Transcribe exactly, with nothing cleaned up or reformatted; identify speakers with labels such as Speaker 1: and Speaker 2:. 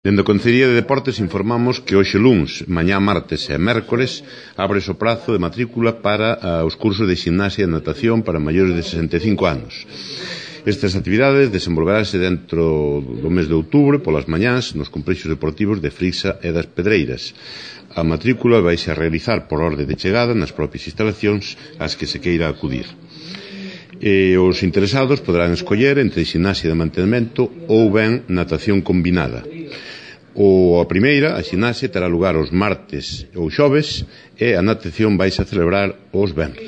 Speaker 1: Dende a Concellería de Deportes informamos que hoxe luns, mañá martes e mércores abre o prazo de matrícula para uh, os cursos de ximnasia e natación para maiores de sesenta e cinco anos. Estas actividades desenvolveránse dentro do mes de outubro polas mañás nos complexos deportivos de Frisa e das Pedreiras. A matrícula vaise a realizar por orde de chegada nas propias instalacións ás que se queira acudir. E os interesados poderán escoller entre ximnasia de mantemento ou ben natación combinada. O a primeira, a ximnasia, terá lugar os martes ou xoves e a natación vaise a celebrar os venres.